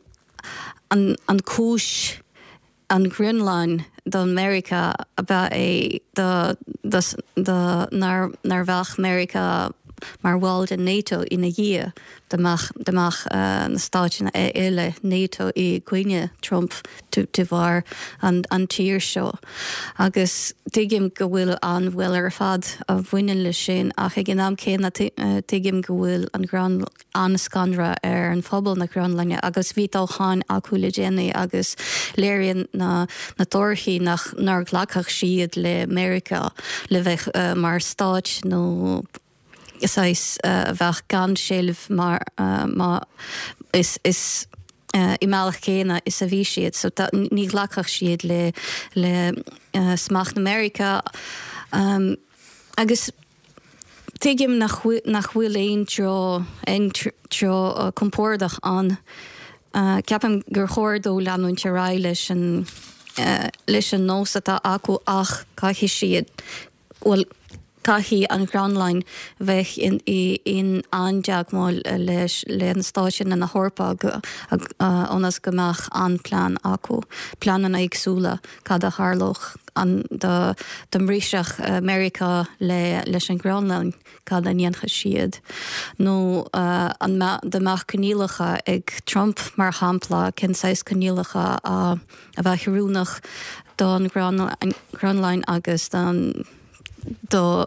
an an cúis an Ghraonlainn do Meiriceá ab ea é do do nár nár bheadh Meiriceá mar bhall de NATO ina dhiaidh dá mbeadh dá mbeadh na stáiteanna eile NATO i gcoinne Trump de bharr an an tír seo. Agus tuigim go bhfuil an-bhaol ar fad a bhaineann leis sin ach ag an am céanna tuigim go bhfuil an Ghraonlainn an-scanradh ar an phobal na Graonlainne agus bhí toghcháin acu le déanaí agus léiríonn na na torthaí nach nár ghlacfadh siad le Meiriceá le bheith mar stáit nó saghas a bheadh gan seilbh mar má is is i mbealach céanna is a bhí siad so ní ghlacfadh siad le le smacht na Meiriceá agus Tuigim nach bhfuil aon treo, aon treo compordach ann. Ceapaim gur chóir dó leanúint ar aghaidh leis an, leis an nós atá acu ach caithfidh siad, bhuel, caithfidh an Ghraonlainn bheith in, in an-teagmháil leis, le na stáiteanna na hEorpa ionas go mbeadh an-plean acu, pleananna éagsúla cad a tharlódh. an dá dá mbrisfeadh Meiriceá le leis an Ghraonlainn, cad a ndéanfadh siad? Nó an dá mbeadh coinníollacha ag Trump, mar shampla, cén saghas coinníollacha a a bheadh oiriúnach don Ghraonlainn agus don do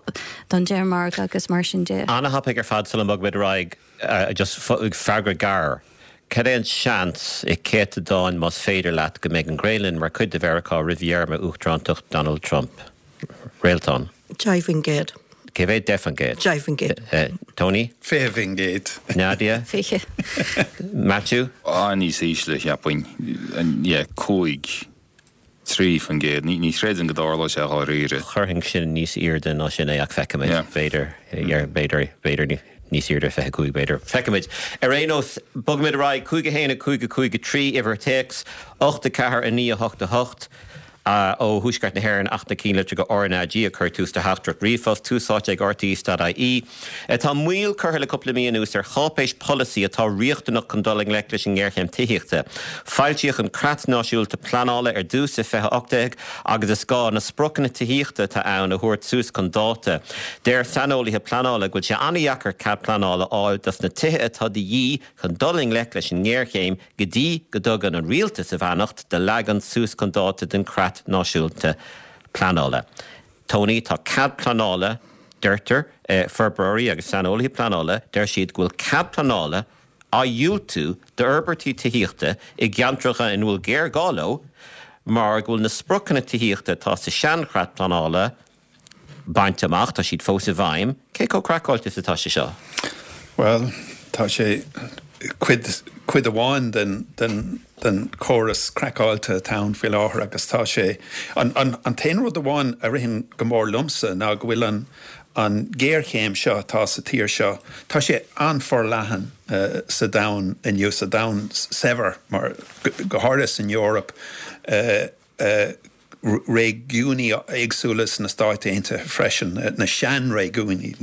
don Danemark agus mar sin de. An-thapaidh ar fad sula mbogfaimid ar aghaidh. Just freagra gearr. Cad é an seans, i céatadáin más féidir leat, go mbeidh an Ghraonlainn mar chuid de Mheiriceá roimh théarma uachtarántacht Donald Trump? Réaltán. 10%. Cé mhéad? 10%. 10%. Tony? 20%. Nadia? 20. Matthew? Ah, níos ísle, cheapfainn. Yeah, 5. 3%. Ní chreidim go dtarlóidh sé dháiríre. Chuirfinn sin níos airde ná sin é ach feicfimid. B'fhéidir, b'fhéidir, b'fhéidir níos airde, 25 b'fhéidir. Feicfimid. Ar aon nós, bogfaimid ar aghaidh. 5 1 5 5 3, uimhir téacs, 8 4 9 8 8, ó Thuaisceart na hÉireann ach na cinnlitreacha RnaG ag cur tús do theachtaireacht ríomhphost, tús áite ag rte.ie. Tá moill curtha le cúpla mí anuas ar cháipéis polasaí atá riachtanach chun dul i ngleic leis an ngéarchéim tithíochta. Foilsíodh an Creat Náisiúnta Pleanála ar dtús i 2018 agus is gá na spriocanna tithíochta atá ann a thabhairt suas chun dáta. Deir saineolaithe pleanála go bhfuil sé an-dheacair cead pleanála a fháil dos na tithe atá de dhíth chun dul i ngleic leis an ngéarchéim go dtí go dtugann an Rialtas a bheannacht do leagan suas chun dáta den Chreat Náisiúnta Pleanála. Tony, tá cead pleanála, deirtear, forbróirí agus saineolaithe pleanála, deir siad go bhfuil cead pleanála á dhiúltú d'fhorbairtí tithíochta i gceantracha ina bhfuil géarghá leo mar go bhfuil na spriocanna tithíochta atá sa seanchreat pleanála bainte amach, tá siad fós i bhfeidhm. Cé chomh craiceáilte is atá sé seo? Bhuel, tá sé cuid, cuid amháin den, den, den chóras craiceáilte atá ann faoi láthair agus tá sé, an, an, an t-aon rud amháin a ritheann go mór liomsa ná go bhfuil an, an ghéarchéim seo atá sa tír seo, tá sé an-fhorleathan sa domhan inniu, sa domhan saibhir, mar, go háirithe san Eoraip. Réigiúnaí éagsúla sna Stáit Aontaithe freisin, na sean-réigiúnaí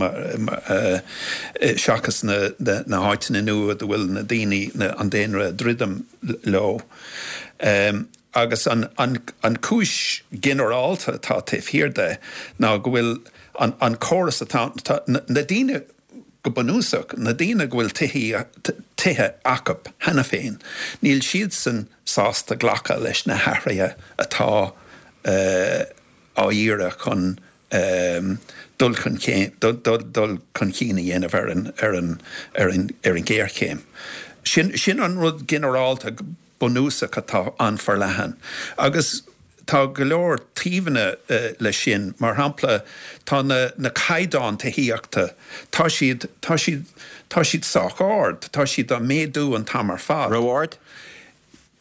seachas na háiteanna nua dá bhfuil na daoine, an daonra ag druidim leo. Agus an chúis ghinearálta atá taobh thiar de ná go bhfuil an córas atá, na daoine, Go bunúsach, na daoine go bhfuil tithe acu cheana féin, níl siadsan sásta glacadh leis na hathruithe atá á iarraidh chun dul chun cinn a dhéanamh ar an ghéarchéim. Sin an rud ginearálta. bunúsach atá an-fhorleathan. Agus tá go leor taobhanna leis sin. Mar shampla, tá na na caighdeáin tithíochta, tá siad, tá siad, tá siad sách ard, tá siad á méadú an t-am ar fad. Ró-ard?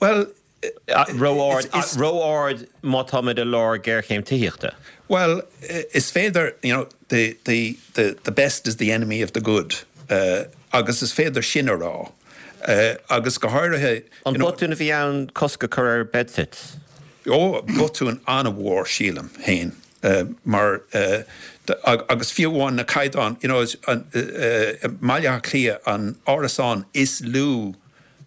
Bhuel, Ró-ard, ró-ard má táimid i lár géarchéim tithíochta. Bhuel, is féidir, you know, the, the, the, the best is the enemy of the good, agus is féidir sin a rá. Agus go háirithe, An botún a bhí ann cosc a chur ar bedsits? Ó, botún an-mhór, sílim féin, mar, agus fiú amháin na caighdeáin, you know, i mBaile Átha Cliath an árasán is lú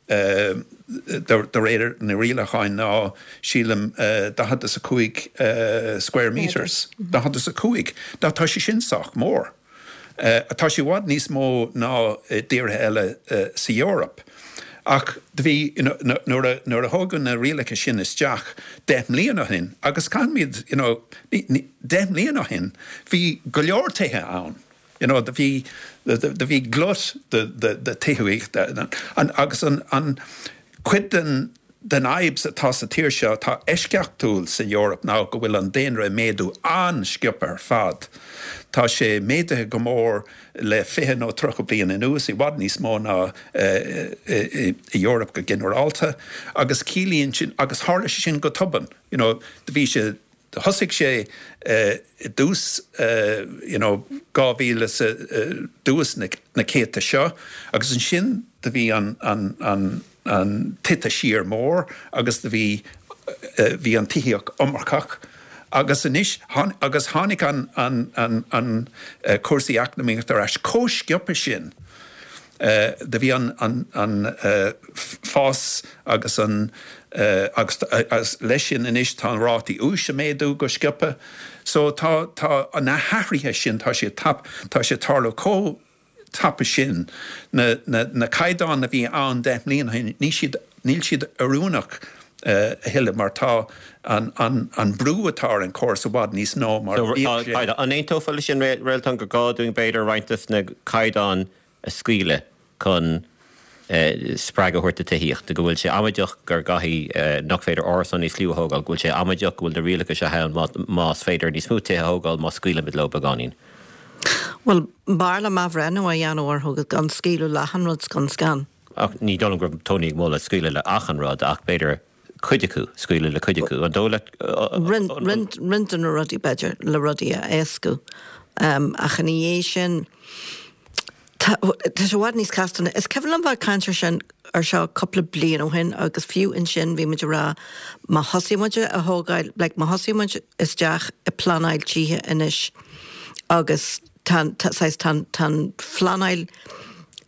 de réir na rialacháin ná, sílim, 45 square metres, 45. Now tá sé sin sách mór. Tá sé i bhfad níos mó ná i dtíortha eile sa Eoraip. Ach do bhí, you know, nuair a, nuair a thógadh na rialacha sin isteach 10 mbliana ó shin, agus caithfimid, you know, 10 mbliana ó shin, bhí go leor tithe ann. You know, do bhí, do bhí glut de, de, de tithíocht agus an, an cuid den, den fhadhb atá sa tír seo atá eisceachtúil san Eoraip ná go bhfuil an daonra ag méadú an-sciobtha ar fad. Tá sé méadaithe go mór le 20 nó 30 bliain anuas, i bhfad níos mó ná i Eoraip go ginearálta, agus ciallaíonn sin, agus tharla sé sin go tobann, you know, do bhí sé, Thosaigh sé i dtús you know 2000 is dtús na céadta seo agus ansin do bhí an an an an tite siar mór agus do bhí bhí an tithíocht iomarcach agus anois agus tháinig an an an an cúrsaí eacnamaíochta ar ais chomh sciobtha sin. Do bhí an fás agus an agus leis sin anois tá an rátaí úis ag méadú go sciobtha. So tá tá na hathruithe sin tá siad tap tá sé ag tarlú chomh tapa sin. Na na na caighdeáin a bhí ann 10 mbliana ó shin ní siad níl siad oiriúnach a thuilleadh mar tá an an an brú atá ar an chóras i bhfad níos mó mar a bhíodh sé. An aontófá leis sin, Réaltán, gur gá dúinn b'fhéidir roinnt de na caighdeáin a scaoileadh chun spreagadh a thabhairt do tithíocht, go bhfuil sé amaideach gur gcaithfidh, nach féidir árasáin níos lú a thógáil, go bhfuil sé amaideach go bhfuil na rialacha seo ann más féidir níos mó tithe a thógáil má scaoilimid leo beagáinín. Bhuel, b'fhearr liom athbhreithniú a dhéanamh orthu agus gan scaoileadh le achan rud scun scan. Ach ní dóigh liom go raibh Tony ag moladh scaoileadh le achan rud ach b'fhéidir cuid acu, scaoileadh le cuid acu. An dóigh leat? Roinnt roinnt de na rudaí, b'fhéidir, le rudaí a éascú. Ach ina dhiaidh sin, tá tá sé i bhfad níos casta ná, is cuimhin liom bheith ag caint ar sin ar seo cúpla bliain ó shin agus fiú ansin bhí muid ag rá má thosaíonn muid a thógáil, like má thosaíonn muid isteach ag pleanáil tithe anois agus tá tá saghas tá tá an phleanáil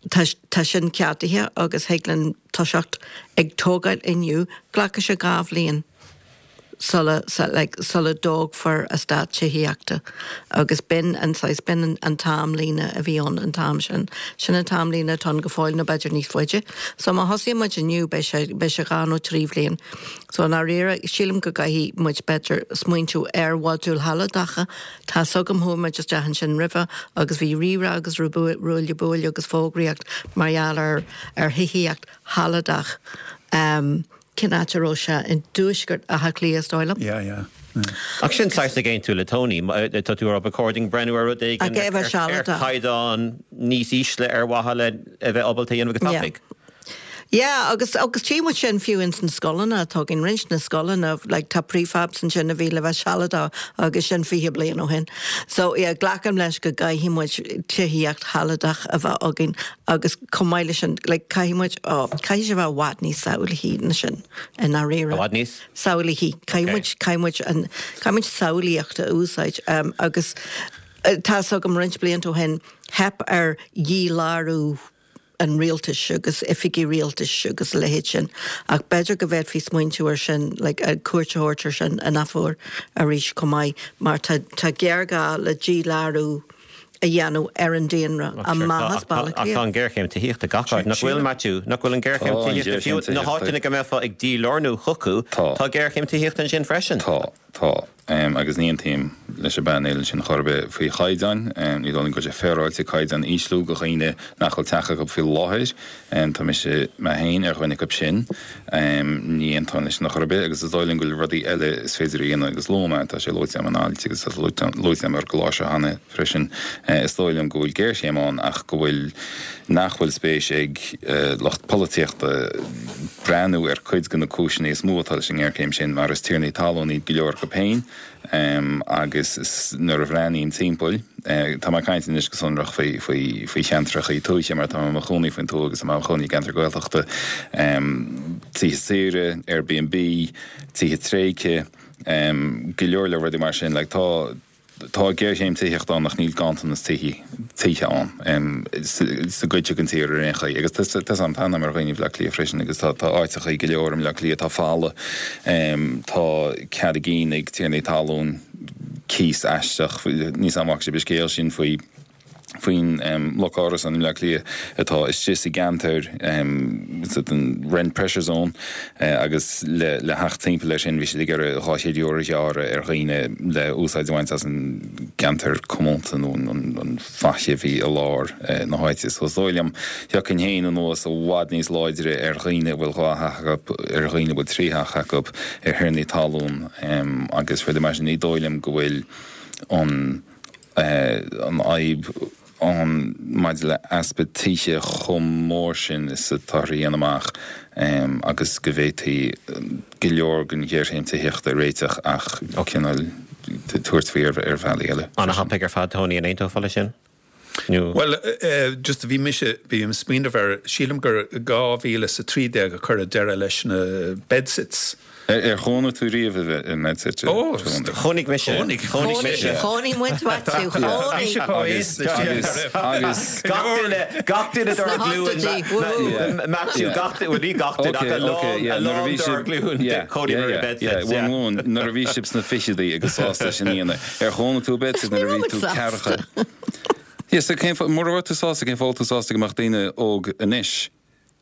tá tá sin ceadaithe agus thig linn toiseacht ag tógáil inniu, glacfaidh sé 2 bhliain sula like sula dtógfar eastát tithíochta agus b'in an saghas b'in an an t-amlíne a bhí ann an t-am sin. Sin an t-amlíne atá ann go fóill nó b'fhéidir níos faide. So má thosaíonn muid inniu beidh sé beidh sé 2 nó 3 bhliain. So i ndáiríre sílim go gcaithfidh muid b'fhéidir smaointiú ar mhodúil shealadacha Tá's agam, chuaigh muid isteach ansin roimhe agus bhí rírá agus ruaille buaille agus fógraíocht mar gheall ar ar thithíocht shealadach. Cén áit a raibh sé? I dtuaisceart Átha Cliath is dóigh liom. Yeah, yeah. Ach sin saghas ag aontú le Tony. Tá tú ag rá ba chóir dúinn breathnú ar rud éigin ar chaighdeán níos ísle ar mhaithe le a bheith ábalta a dhéanamh go tapaidh. Yeah, agus, agus tchí muid sin fiú ins na scoileanna atá againn, roinnt na scoileanna, like tá prefabs ansin a bhí le bheith sealadach agus sin 20 bliain ó shin. So yeah, glacaim leis go gcaithfidh muid tithíocht shealadach a bheith againn agus chomh maith leis sin, like caithfidh muid, oh, caithfidh sé bheith i bhfad níos samhlaithí ná sin i ndáiríre. I bhfad níos? Samhlaithí. Caithfidh muid, caithfidh muid an, caithfidh muid samhlaíocht a úsáid um, agus tá's agam roinnt blianta ó shin, theip ar dhílárú an rialtais agus oifigí rialtais agus a leithéid sin ach b'fhéidir go bhféadfaí smaointiú ar sin like cuairt a thabhairt ar sin in athuair arís chomh maith mar tá tá géarghá le dílárú a dhéanamh ar an daonra amach as Baile Átha Cliath. Ach tá an ghéarchéim tithíochta gach áit, nach bhfuil Maitiú? Nach bhfuil an ghéarchéim tithíochta fiú na háiteanna go mbeifeá ag dílárnú chucu, tá géarchéim tithíochta ansin freisin. Tá, tá. Agus ní aontaím. leis an bpainéal ansin chor ar bith faoi chaighdeáin. Ní dóigh liom go bhfuil sé féaráilte caighdeáin a ísliú do dhaoine nach bhfuil teach acu faoi láthair. Tá mise mé féin ar dhuine acu sin. Ní aontóinn leis sin chor ar bith agus is dóigh liom go bhfuil rudaí eile is féidir a dhéanamh agus luaigh mé, tá sé luaite agam in ailt agus tá sé luaite agam ar an gclár seo cheana freisin, is dóigh liom go bhfuil géarchéim ann ach go bhfuil, nach bhfuil spéis ag lucht polaitíochta breathnú ar cuid de na cúiseanna is mó atá leis an ngéarchéim sin mar is tiarnaí talún iad go leor acu féin. Agus nuair a bhreathnaím timpeall, tá mé ag caint anois go sonrach faoi, faoi, faoi cheantracha tuaithe mar tá mé i mo chónaí faoin tuath agus tá mé i mo chónaí i gceantar Gaeltachta, tithe saoire, Airbnb, tithe tréigthe, go leor leor rudaí mar sin. Like tá, tá géarchéim tithíochta ann ach níl ganntanas tithe, tithe ann sa gcuid seo den tír ar aon chaoi. Agus tá 's agam, tá aithne agam ar dhaoine i mBleá Cliath freisin agus tá áiteachaí go leor i mBleá Cliath atá folamh. Tá cead a gcinn ag tiarnaí talún cíos aisteach, níl 's agam an bhfaca sibh an scéal sin faoi faoin mbloc árasán i mBleá Cliath atá istigh sa gceantar sa rent pressure zone agus le theacht timpeall air sin bhí siad ag iarraidh €200 a ghearradh ar dhaoine le úsáid a bhaint as an gceantar comónta nó an faiche a bhí i lár na háite. So is dóigh liom, thiocfainn féin anuas i bhfad níos láidre ar dhaoine a bhfuil dhá theach acu, ar dhaoine a bhfuil trí theach acu, ar thiarnaí talún agus rudaí mar sin. Ní dóigh liom go bhfuil an an fhadhb ann maidir le easpa tithe chomh mór sin is atáthar a dhéanamh amach agus go bhféadfaí go leor den ghéarchéim tithíochta a réiteach ach cineál tabhairt faoi ar bhealaí eile. An-thapaidh ar fad, Tony, an aontófá leis sin? Nó. Bhuel, just bhí mise, bhí ag smaoineamh ar, sílim gur 2013 a cuireadh deireadh leis na bedsits. Ar chónaigh tú riamh i mbedsit? Ó, chónaigh mise. Chónaigh mise. Chónaigh muid, Maitiú, chónaigh. Agus, agus, agus. Gach duine, gach duine dár nglúin, Maitiú, gach duine, bhuel ní gach duine ach a lán, a lán dár nglúin, chónaíomar i bedsits, yeah. Bhur nglúin, nuair a bhí sibh sna fichidí agus sásta sin a dhéanamh, ar chónaigh tú i bedsit nuair a bhí tú ceathracha? Yeah, so cén fáth, mura raibh tú sásta, cén fáth a bhfuil tú sásta go mbeadh daoine óg anois?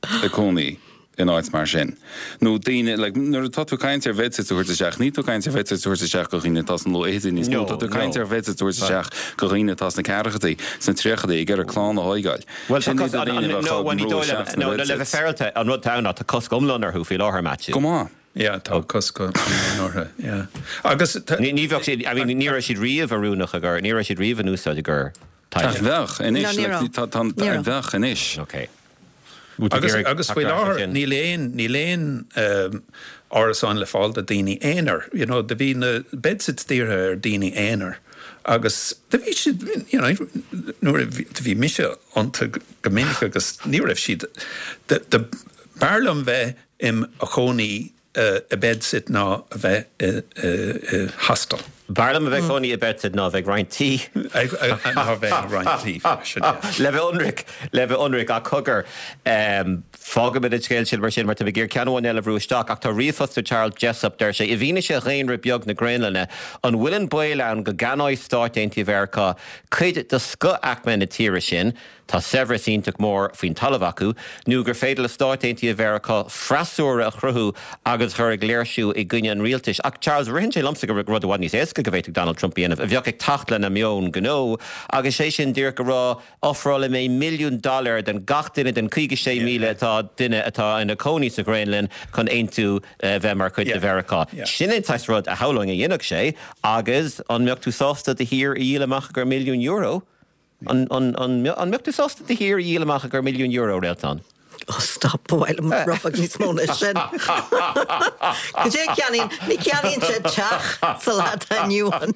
ag cónaí in áit mar sin. Nó daoine, like, nuair atá tú ag caint ar bhedsits a thabhairt isteach, níl tú ag caint ar bhedsits a thabhairt isteach do dhaoine atá sna luathfhichidí níos mó, tá tú ag caint ar bhedsits a thabhairt isteach do dhaoine atá sna ceathrachaidí, sna tríochaidí, ag iarraidh clann a thóigeáil. Bhuel, tá cosc, an, an, no, bhuel, ní dóigh liom, no, le bheith féaráilte, an rud atá ann ná tá cosc iomlán orthu faoi láthair, Matthew. Go maith. Yeah, tá cosc iomlán orthu, yeah. Agus tá. Ní, ní bheadh siad, I mean, ní raibh siad riamh oiriúnach i gcomhair, ní raibh siad riamh in úsáid i gcomhair teaghlaigh. Bheadh anois, like, tá, tá, bheadh anois. Okay. Agus, agus faoi láthair níl aon, níl aon árasán le fáil do daoine aonair. You know, do bhí na bedsits dírithe ar daoine aonair agus do bhí siad, you know, nuair a bhí, do bhí mise iontu go minic agus ní raibh siad, do, do, b'fhearr liom bheith im chónaí i bedsit ná a bheith i hostel. B'fhearr liom a bheith cónaí i bedsit ná a bheith ag roinnt tí. Ná a bheith ag roinnt tí freisin, yeah. Le bheith ionraic, le bheith ionraic, ach cogar, fágfaimid an scéal sin mar sin mar tá mé ag iarraidh ceann amháin eile a bhrú isteach ach tá ríomhphost ó Charles Jessup, deir sé, i bhfianaise dhaonra beag na Graonlainne, an bhfuil an baol ann go gceannóidh Stáit Aontaithe Mheiriceá cuid de scoth-aicme na tíre sin, Tá saibhreas iontach mór faoin talamh acu, nó gur féidir le Stáit Aontaithe Mheiriceá freasúra a chruthú agus a chur ag léirsiú i gcoinne an rialtais. Ach Charles, ritheann sé liomsa gur rud i bhfad níos éasca go bhféadfadh Donald Trump a dhéanamh, a bheadh ag teacht lena meon gnó, agus sé sin díreach a rá, ofrálfaidh mé milliún dollar don gach duine den 56,000 atá duine atá ina cónaí sa Ghraonlainn chun aontú bheith mar chuid de Mheiriceá. Sin é an saghas rud a shamhlóinn a dhéanfadh sé, agus an mbeadh tú sásta do thír a dhíol amach i gcomhair milliún euro? An mbeadh tú sásta do thír a dhíol amach i gcomhair milliún euro, Réaltán? Oh stop, ba mhaith liom rud beag níos mó ná sin. Cad é a cheannaíonn, ní cheannaíonn sé teach sa lá atá inniu ann.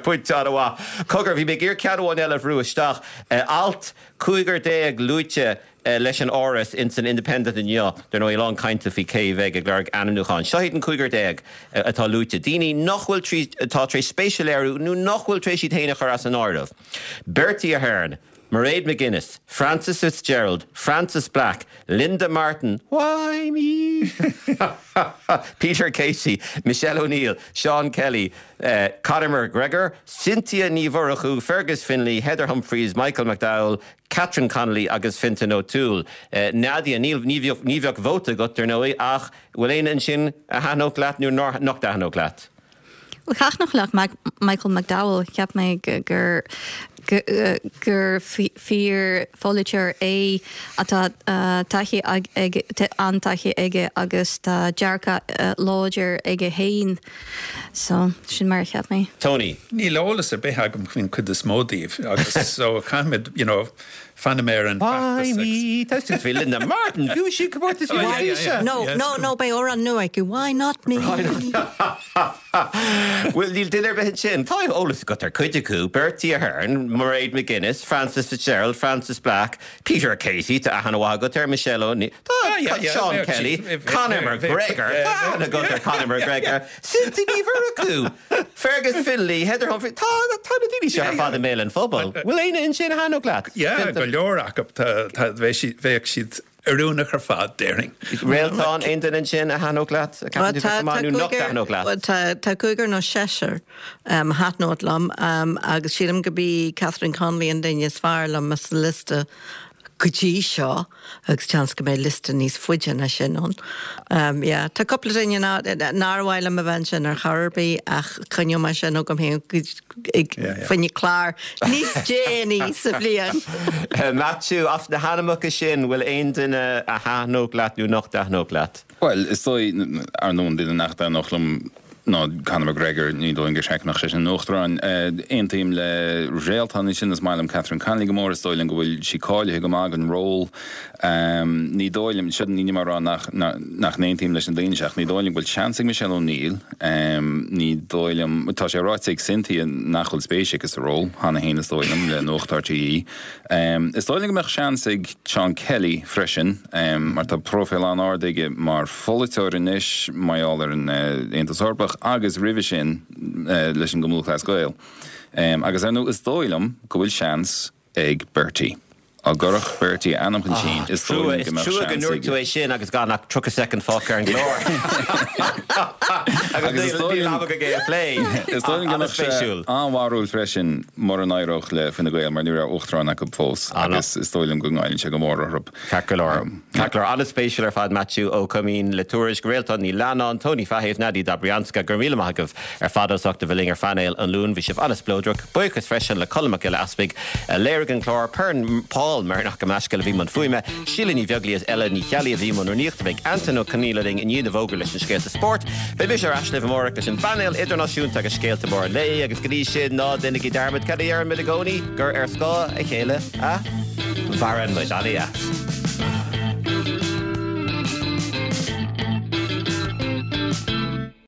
Pointe an-mhaith. Cogar, bhí mé ag iarraidh ceann amháin eile a bhrú isteach. Alt 15 luaite leis an Áras ins an Independent inniu, dar ndóigh, a lán cainte faoi cé a bheidh ag lorg ainmniúcháin. Seo iad an 15 atá luaite, daoine nach bhfuil trí, atá tar éis spéis a léiriú nó nach bhfuil tar éis iad féin a chur as an áireamh, Bertie Ahern, Mairead McGuinness, Frances Fitzgerald, Frances Black, Linda Martin, why me? Peter Casey, Michelle O'Neill, Seán Kelly, Conor McGregor, Cynthia Ní Mhurchú, Fergus Finlay, Heather Humphreys, Michael McDowell, Catherine Connolly agus Fintan O'Toole. Nadia, níl, ní bheadh, ní bheadh vóta agat, dar ndóigh, ach bhfuil éinne ansin a thaitneodh leat nó nár, nach dtaitneodh leat? Bhuel, thaitneodh liom Michael McDowell, cheap mé gur gur fíor pholaiteoir é atá taithí an-taithí aige agus tá dearcadh láidir aige féin. So, sin mar a cheap mé. Tony. Níl eolas ar bith agam faoin chuid is mó díobh agus so caithfimid, you know, fanfaidh mé ar an Why bhfeachtas me? agus. Tá bhí Linda Martin, bhí sí comórtas Oh, yeah, yeah, yeah. No, no, no, beidh amhrán nua aici, Why not me? Bhuel, níl duine ar bith ansin. Tá eolas agat ar cuid acu, Bertie Ahern, Mairead McGuinness, Frances Fitzgerald, Frances Black, Peter Casey, tá aithne mhaith agat air, Michelle O'Neill, tá Seán Kelly, Conor McGregor, tá aithne agat ar Conor McGregor, Cynthia Ní Mhurchú, Fergus Finlay, Heather Humphreys, tá tá na daoine seo ar fad i mbéal an phobail. Bhfuil éinne ansin a thaitneodh leat? Yeah, go leor acu, tá bheadh siad oiriúnach ar fad, déarfainn. Réaltán, aon duine ansin a thaitneodh leat, a cheapann tú go maith nó nach dtaitneodh leat? Tá cúigear nó seisear a thaitneodh liom agus sílim go b'í Catherine Connolly an duine is fearr liom sa liosta go dtí seo agus seans go mbeidh liosta níos faide ná sin ann. Yeah, tá cúpla duine nár mhaith liom a bheith ansin ar chor ar bith ach coinneoidh mé sin agam féin fá choinne clár níos déanaí sa bhliain. Maitiú, as na hainmneacha sin, bhfuil aon duine a thaitneodh leat nó nach dtaitneodh leat? Bhuel, is dóigh, ar ndóigh, an duine nach dtaitneodh liom ná Conor McGregor, ní dóigh liom gur cheart go mbeadh sé ina uachtarán. Aontaím le Réaltán ansin, is maith liom Catherine Connolly go mór, is dóigh liom go bhfuil sí cáilithe go maith don ról. Ní dóigh liom, seo, ní mé ag rá nach nach n-aontaím leis na daoine seo, ach ní dóigh liom go bhfuil seans ag Michelle O'Neill. Ní dóigh liom, tá sé ráite ag Cynthia nach bhfuil spéis aici sa ról, cheana féin is dóigh liom, le Nuacht RTÉ. Is dóigh liom go mbeadh seans ag Seán Kelly freisin, mar tá próifíl an-ard aige mar pholaiteoir anois, mar gheall ar an Aontas Eorpach agus roimhe sin leis an gCumann Lúthchleas Gael. Agus ar ndóigh is dóigh liom go bhfuil seans ag Bertie. Dá gcuirfeadh Bertie a ainm chun cinn, is dóigh liom go mbeadh seans aige. Is trua go ndúirt tú é sin agus gan ach 30 soicind fágtha ar an gclár. Agus níl am againn é a phlé. Is dóigh liom go mbeadh sé an-bharrúil freisin mura n-éireodh le Fine Gael mar ní raibh uachtarán acu fós agus is dóigh liom go ngoilleann sé go mór orthu. Ceart go leor. Ceart go leor. An-spéisiúil ar fad Maitiú Ó Coimín le Tuairisc, Réaltán Ní Leannáin, Tony Fahey is Nadia Dobryanska. Go raibh míle maith agaibh ar fad as ucht a bheith linn ar phainéal an Luain. Bhí sibh an-spleodrach. Buíochas freisin le Colm Mac Giolla Easpaig a léirigh an clár, Paul Meirneach Gabh mo leithscéal a bhí i mbun fuaime, Síle Ní Bheaglaoí is Ella Ní Cheallaigh a bhí i mbun rúnaíochta. Beidh Antain Ó Conghaile linn i ndiaidh na bhfógraí leis na scéalta spóirt. Beidh mise ar ais libh amárach leis an bpainéal idirnáisiúnta agus scéalta móra an lae agus go dtí sin ná déanaigí dearmad cad a deirimid i gcónaí, gur ar scáth a chéile a mhaireann muid. Ana-dheas.